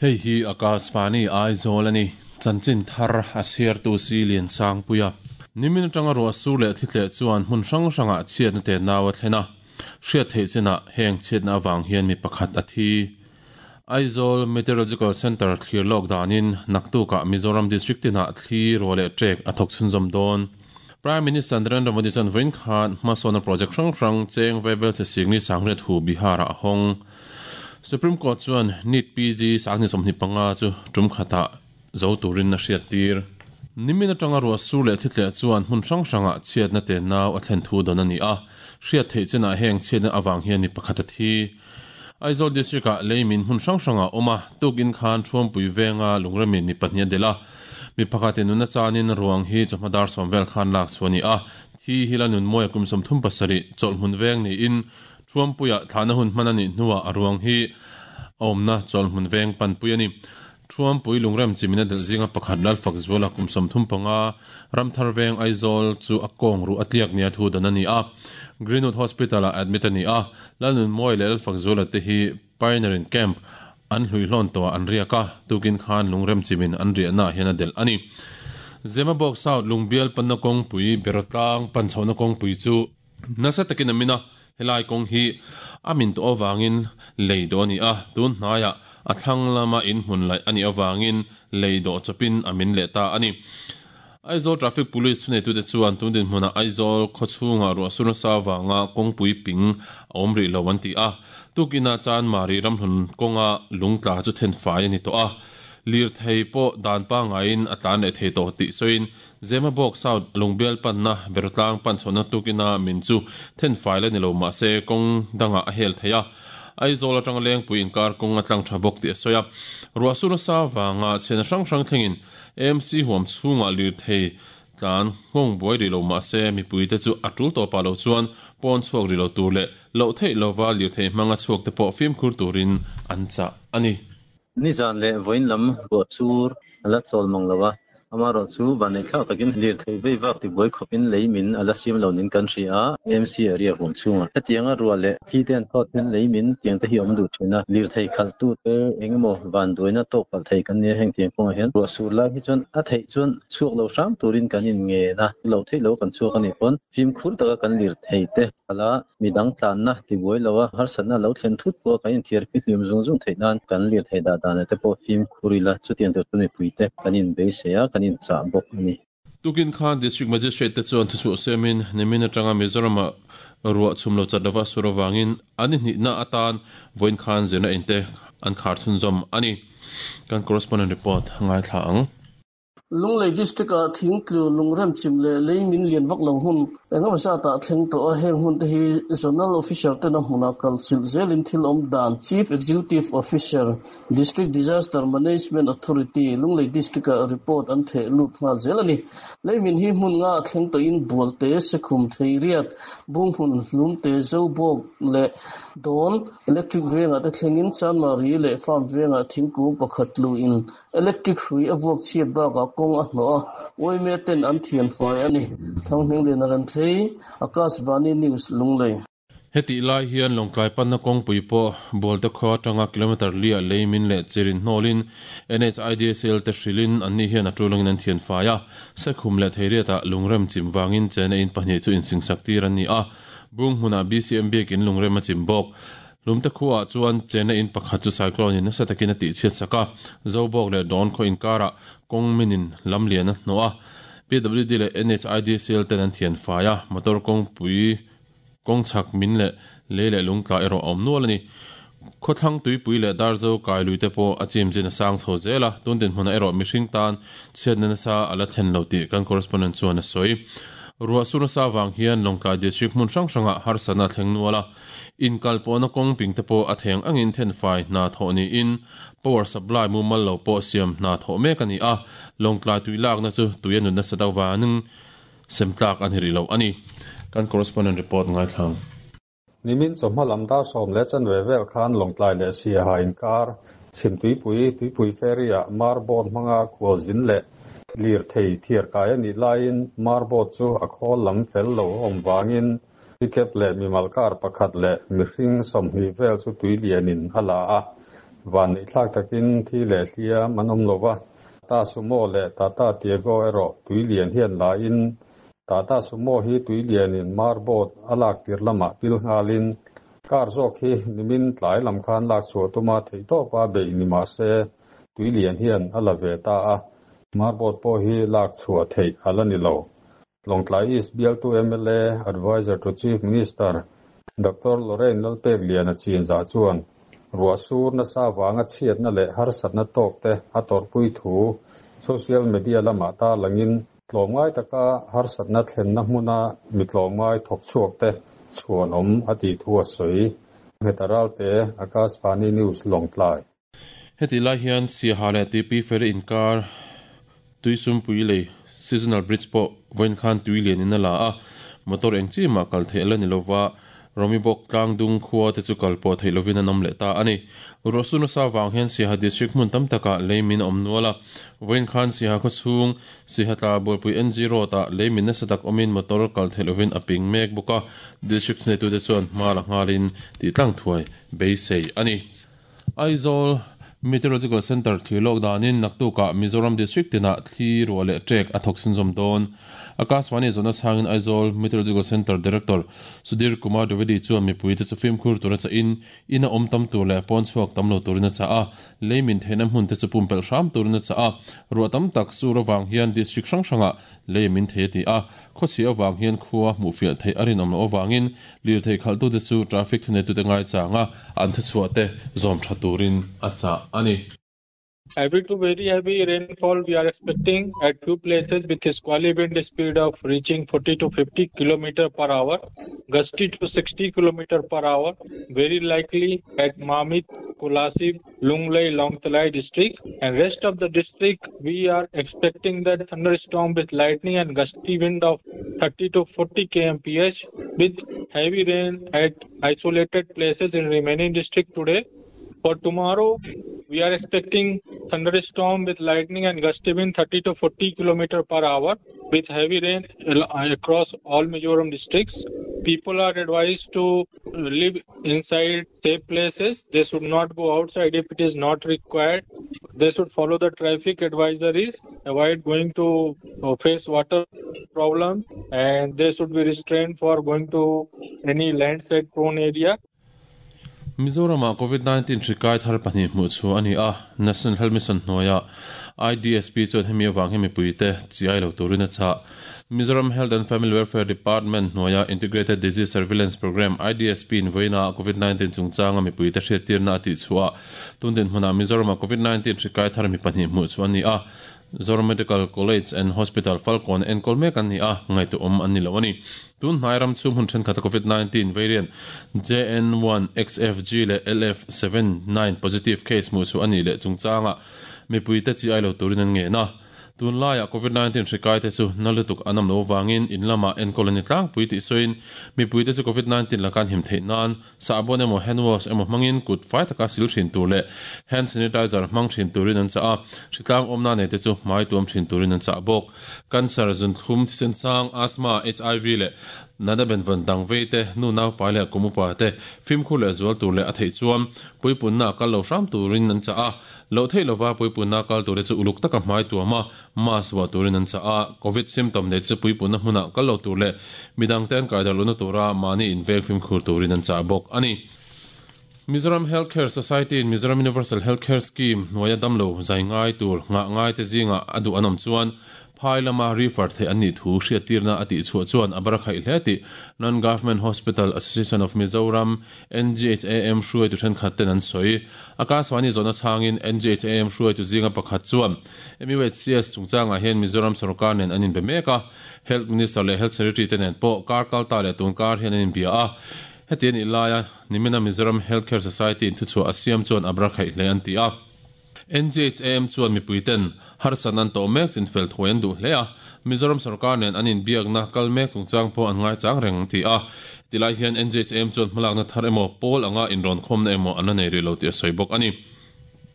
Hei hi Akashvani Aizawl a ni. Chanchin thar a chhiartu si Liansangpuia. Nimin atanga ruah sur leh thli tleh chuan hmun hrang hrangah chhiatna te nau a thlen a. Hriat theih chinah heng chhiatna avang hian mi pakhat a thi. Aizawl Meteorological Centre thlir lawk danin naktukah Mizoram District tinah thli ruah leh ṭek a thawk chhunzawm dawn. Prime Minister Narendra Modi chuan vawiin khan hmasawnna project hrang hrang cheng Vaibel che Singni Sangriat hu Bihar-ah a hawng. Supreme Court chuan NEET PG 2025 chu tum khatah zo turin a hriattir. Nimin atanga ruah sur leh thli tleh chuan hmun hrang hrangah chhiatna te nau a thlen thu dawn a ni a, hriat theih chinah heng chhiatna avang hian mi pakhat a thi. Aizawl District-ah leimin hmun hrang hrangah a awm a, tukin khan Thuampui venga Lungremin mi pahnih a delh a, mi pakhatin nuna chanin ruang hi chawhma dar sawm vel khan lak chhuah a ni a, thi hi la nunmawia kum 37 chawlhhmun veng niin Thuampuia thlahna hun hman a nih hnuah a ruang hi a awmna chawlhhmun veng panpui a ni. Thuampui lungrem chimin a delh zinga pakhat Lalfakzuala kum 35, Ramthar veng Aizawl chu a kawng ruh a tliak nia thu dan a ni a. Greenwood Hospital-ah admit a ni a. Lalnunmawi leh Lalfakzuala te hi Pioneer in Camp an hluihlawn tawhah an riak a, tukin khan lungrem chimin an riahnaah hian a delh a ni. Zemabawk South Lungbial panna kawngpui Berawtlang pan chhohna kawngpui chu nasa takin a min a, helai kawng hi a min tawh avangin lei dawh a ni a, tun hnaiah a thlang lama in hmun laih a nih avangin lei dawh chawpin a min leh ta a ni. Aizawl Traffic Police thuneitute chuan tun dinhmunah Aizawl khawchhungah ruah sur nasa avanga kawngpui ping a awm rih lo an ti a, tukinah Chanmari ramhlun kawnga lungtla chu thenfai a ni tawh a, lirthei pawh dan pangaiin a tlan leh thei tawh tih sawiin Zemabawk South Lungbial panna Berotlang pan chhohna tukina min chu thenfai la ni lo mahse kawng dangah a hel thei a, Aizawl atanga Lengpui inkar kawng a tlang tha bawk tih a sawi a. Ruah sur nasa vanga chhiatna hrang hrang thlengin AMC huam chhungah lirthei tlan nghawng buai rih lo mahse mipuite chu a tul tawpah lo chuan pawn chhuak rih lo tur leh loh theih lova lirthei hmanga chhuak te pawh fimkhur turin an chah a ni. Nizan leh vawiin lam ruah chur a la chawl mang lo a, amaherawh chu vanneihthlak takin lirthei vei vak tibuai khawpin lei min a la siam lo niin kan hria a, AMC area huam chhungah hetianga ruah leh thli te an thawt hian lei min tiang te hi a awm duh thin a, lirthei khalhtute eng emaw vanduaina tawk palh thei kan nia heng tiang kawngah hian ruah sur lai hi chuan a theih chuan chhuak lo hram turin kan inngen a, lo theih lo kan chhuak a nih pawn fimkhur taka kan lirthei te khala Midang tlanna tibuai lo a, harsatna lo thlen thut pawh kan inthiar fihlim zung zung theih nan kan lirthei dah dan te pawh fimkhur ila, chutiang tur chu mipuite kan inbeisei a, kan inchah bawk a ni. Tukin khan District Magistrate te chuan thuchhuah siamin nimin atanga Mizoram-ah ruah chhum lo chat lova sur avangin an inhnihna atan vawiin khan zirna in te an khar chhunzawm a ni. Kan correspondent report ngaithla ang. Lunglei District-ah thingtlu, lungremchim leh lei min lian vak lo hmun engemaw zatah thleng tawh a, heng hun te hi Zonal Officer tena hmunah kal chilh zelin thil awm dan Chief Executive Officer, District Disaster Management Authority, Lunglei District-ah report an theh lut nghal zel a ni. Lei min hi hmun nga a thleng tawhin Bualte, Sekhum, Theiriat, Bunghmun, Hlumte, Zobawk leh Dawn Electric vengah te thlengin Chanmari leh Farm vengah thingkung pakhat tluin Electric hrui a vuak chhiat bakah kawng a hnawh a, uaime ten an thian fai a ni. Thanghminglian a rem thei, Akashvani News, Lunglei. Hetih lai hian Lawngtlai panna kawngpui pawh Bualte khua atanga kilometre liah lei min leh chirin hnawlin NHIDCL te hrilhin anni hian a tulangin an thian fai a, Sekhum leh Theiriatah lungrem chim vangin chena in pahnih chu insingsak tir an ni a, Bung hmunah BCM biakin lungrem a chim bawk. Hlumte khuaah chuan chena in pakhat chu cyclone in nasa takin a tihchhiat sak a, Zobawk leh Dawn khaw inkarah kawng minin lam lian a hnawh a, PWD leh NHIDCL ten an thian fai a, motor kawngpui kawng chhak min leh lei leh lungtla erawh a awm nual a ni. Khawthlang tuipui leh Darzo kai lui te pawh a chim chin a sang chho zel a, tun dinhmunah erawh mihring tan chhiatna nasa a la thlen lo tih kan correspondent chuan a sawi. Ruah sur nasa avang hian Lawngtlai District hmun hrang hrangah harsatna a thleng nual a, Inkal pawhna kawng ping te pawh a theng angin thenfai hna thawh niin power supply mumal lo pawh siam hna thawh mek a ni a, Lawngtlai tui lakna chu tui a nut nasa deuh vangin sem tlak a ni rih lo a ni. Kan correspondent report ngaithlang. Nimin chawhma lam dar 10:15 vel khan Lawngtlai leh Siaha inkar Chhimtuipui Tuipui Ferry-ah Mar boat hmanga khualzin leh. Lirthei thiar kai a nih laiin marboat chu a khawl lam fel lo a awm vangin pickup leh mimal car pakhat leh mihring 20 vel chu tui lianin a la a. Vanneihthlak takin thi leh hliam an awm lo va, Tata Sumo leh Tata Tiago erawh tui lian hian la in Tata Sumo hi tui lianin marboat a lak tir lamah pil nghalin car zawk hi nimin tlai lam khan lak chhuah tuma theihtawpa beih ni mah se tui lian hian a la ve ta a, marboat pawh hi lak chhuah theih a la ni lo. Lawngtlai East bialtu mla, Adviser to Chief Minister, Doctor Lorraine Lalpekliana chinzah chuan ruah sur nasa avanga chhiatna leh harsatna tawk te a tawrhpui thu social media lamah tarlangin tlawmngai taka harsatna thlenna hmuna mi tlawmngai thawk chhuak te chhuanawm a tih thu a sawi. Ngheta Ralte, Akashvani News, Lawngtlai. Hetih lai hian Siaha leh Tuipui Ferry inkar Tuisumpui lei Seasonal Bridge pawh vawiin khan tui lianin a la a, motor eng chi mah kal theih a la ni lova, Rawmibawk tlangdung khua te chu kal pawh theih lovin an awm leh ta a ni. Ruahsur nasa vang hian Siaha District hmun tam takah lei min a awm nual a, vawiin khan Siaha khawchhung Siaha tla Bualpui NG Road ah lei min nasa tak awmin motor kal theih lovin a ping mek bawk a, District thuneitute chuan hma la nghalin tih tlang thuai beisei a ni. Aizawl Meteorological Centre thlir lawk danin naktukah Mizoram District tinah thli ruah leh ṭek a thawk chhunzawm dawn. Akashvani zawhna chhangin Aizawl Meteorological Centre Director Sudhir Kumar Dwivedi chuan mipuite chu fimkhur tura chahin ina awm tam tur leh pawn chhuak tam lo turin a chah a, lei min theihna hmunte chu pumpelh hram turin a chah a, ruah tam tak sur avang hian district hrang hrangah lei min thei a ti a, khawchhia avang hian khua hmuhfiah theih a rinawm loh avangin Lirthei khalhtute chu traffic thuneitute ngaichanga an thuchhuahte zawm tha turin a chah a ni. Heavy to very heavy rainfall we are expecting at few places with squally wind speed of reaching 40 to 50 km per hour, gusty to 60 km per hour, very likely at Mamit, Kolasib, Lunglei, Lawngtlai district and rest of the district we are expecting that thunderstorm with lightning and gusty wind of 30 to 40 kmph with heavy rain at isolated places in remaining district today. For tomorrow, we are expecting thunderstorm with lightning and gusty wind 30 to 40 km per hour with heavy rain across all Mizoram districts. People are advised to live inside safe places. They should not go outside if it is not required. They should follow the traffic advisories, avoid going to face water problem, and they should be restrained for going to any landslide prone area. Mizoramah Covid-19 hri kai thar pahnih hmuh chhuah a ni a, National Health Mission hnuaia IDSP chuan hemi avang hi mipuite chiai lo turin a chah. Mizoram Health and Family Welfare Department hnuaia Integrated Disease Surveillance Programme, IDSP, in vawiinah Covid-19 chungchanga mipuite hriattirna a tihchhuah a, tun dinhmunah Mizoramah Covid-19 hri kai thar mi pahnih hmuh chhuah a ni a, Zoram Medical College and Hospital Falkawn enkawl mek an ni a, ngaihtuahawm an ni lo a ni. Tun hnai ram chhung hun thenkhat a Covid-19 variant JN1, XFG leh LF79 positive case hmuh chhuah a nih leh chungchangah mipuite chi ai lo turin an ngen a. Tun laiah Covid-19 hri kaite chu na lutuk an awm lo avangin in lamah enkawl a ni tlangpui tih sawiin mipuite chu Covid-19 laka an him theih nan Sahbawn emaw hand wash emaw hmangin kut fai taka sil thin tur leh hand sanitizer hmang thin turin an chah a, hritlang awmna nei te chu hmai tuam thin turin an chah bawk. Cancer, zunthlum, thisen sang, asthma, HIV leh natna benvawn dang vei te, nu naupai leh kum upa te fimkhur leh zual tur leh a theih chuan puipunna a kal lo hram turin an chah a. Loh theih lova puipunna kal tur te chu uluk taka hmai tuam a, Mask vuah turin an chah a, Covid symptom nei chu puipunna hmunah kal lo tur leh midangte an kai darh lohna tura mahni inveng fimkhur turin an chah bawk a ni. Mizoram Health Care Society in Mizoram Universal Health Care Scheme hnuaia damlo zai ngai tur nghah ngaite zingah a duh an awm chuan phai lama refer theih an nih thu hriattirna a tihchhuah chuan a bar a khaih hle tih Non-Government Hospital Association of Mizoram NGHAM hruaitu thenkhat ten an sawi. Akashvani zawhna chhangin NGHAM hruaitu zinga pakhat chuan MUHCS chungchangah hian Mizoram sorkar nen an inbe mek a, Health Minister leh Health Secretary te nen pawh kar kal ta leh tun kar hian an inbia a. Heti a nih laia nimina Mizoram Health Care Society in thuchhuah a siam chuan a bra khaih hle an ti a. NGHAM chuan mipui ten harsatna an tawh mek chin fel thuai an duh hle a, Mizoram sorkar nen an inbiakna kal mek chungchang pawh an ngaichang reng an ti a. Tilai hian NGHAM chuan hmalakna thar emaw pawl anga inrawnkhawmna emaw an la nei rih lo tih a sawi bawk a ni.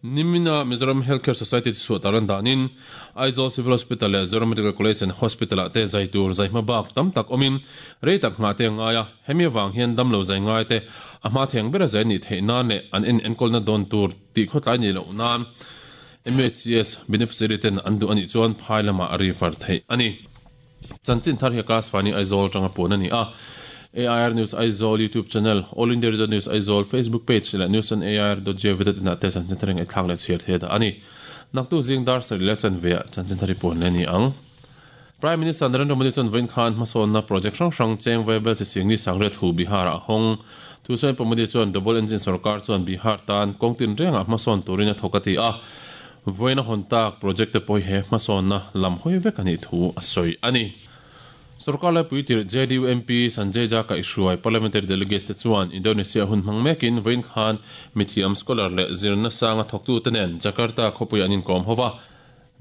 Nimina Mizoram Healthcare Society chhuah tar an danin Aizawl Civil Hospital leh Zoram Medical College and Hospital ah te zai tur zai hma bak tam tak awmin rei tak nghah te a ngai a, hemi avang hian damlo zai ngai te a hma theng bera zai nih theih nan leh an en enkawlna dawn tur tih khawtlai nih loh nan MHCS beneficiary ten an duh a nih chuan phai lamah a refer theih a ni. Chanchin thar hi Akashvani Aizawl atanga puan a ni a. AIR News Aizawl YouTube channel, All India Radio News Aizawl Facebook page leh News on AIR dot gov dot in ah te chanchin thar hi ngaihthlak leh chhiar thei a dah a ni. Naktuk zing dar sarih leh chanve ah chanchin thar hi puan leh a ni ang. Prime Minister Narendra Modi chuan vawiin khan hmasawnna project hrang hrang cheng Vaibel chi Singni Sangriat hu Bihar ah a hawng. Thusawi pawh Modi chuan Double Engine sorkar chuan Bihar tan kawng tinrengah hmasawn turin a thawk a ti a. Vawiin a hawn tak project te pawh hi he hmasawnna lam hawi vek a nih thu a sawi a ni. Sorkar laipui tirh JDU MP Sanjay Jha kaihhruai Parliamentary Delegates te chuan Indonesia hun hmang mekin vawiin khan mithiam scholar leh zirna sanga thawktute nen Jakarta khawpuiah an inkawm ho va.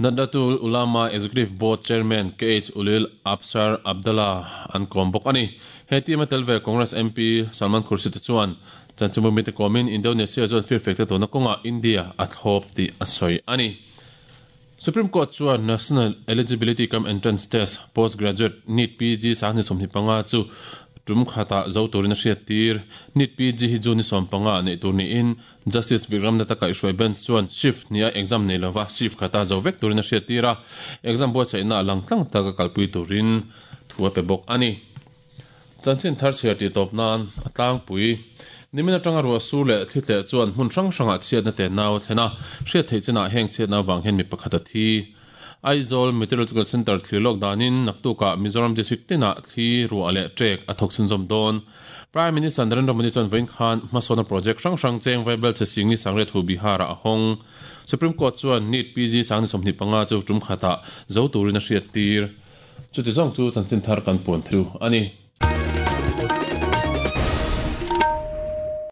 Nahdlatul Ulama Executive Board Chairman KH Ulil Absar Abdallah an kawm bawk a ni. He team a tel ve Congress MP Salman Khurshid te chuan Chanchinbu mite kawmin Indonesia chuan firfek te tawhna kawngah India a thlawp tih a sawi a ni. Supreme Court chuan National Eligibility cum Entrance Test, Postgraduate, NEET PG 25 chu tum khatah zo turin a hriattir. NEET PG hi June ni 15 ah neih tur niin Justice Vikram Datta kaihhruai Bench chuan shift hniha exam nei lova shift khata zo vek turin a hriattir a, exam buatsaihna a lang tlang taka kalpui turin thu a pe bawk a ni. Chanchin thar chhiar tih tawp nan a tlangpui. Nimin atanga ruah sur leh thli tleh chuan hmun hrang hrangah chhiatna te nau a thlen a, hriat theih chinah heng chhiatna avang hian mi pakhat a thi. Aizawl Meteorological Centre thlir lawk danin naktukah Mizoram District tinah thli, ruah leh trek a thawk chhunzawm dawn. Prime Minister Narendra Modi chuan vawiin khan hmasawnna project hrang hrang cheng Vaibel chhe Singni Sangriat hu Bihar-ah a hawng. Supreme Court chuan NEET PG 25 chu tum khatah zo turin a hriattir. Chuti zawng chu chanchin thar kan puan thu a ni.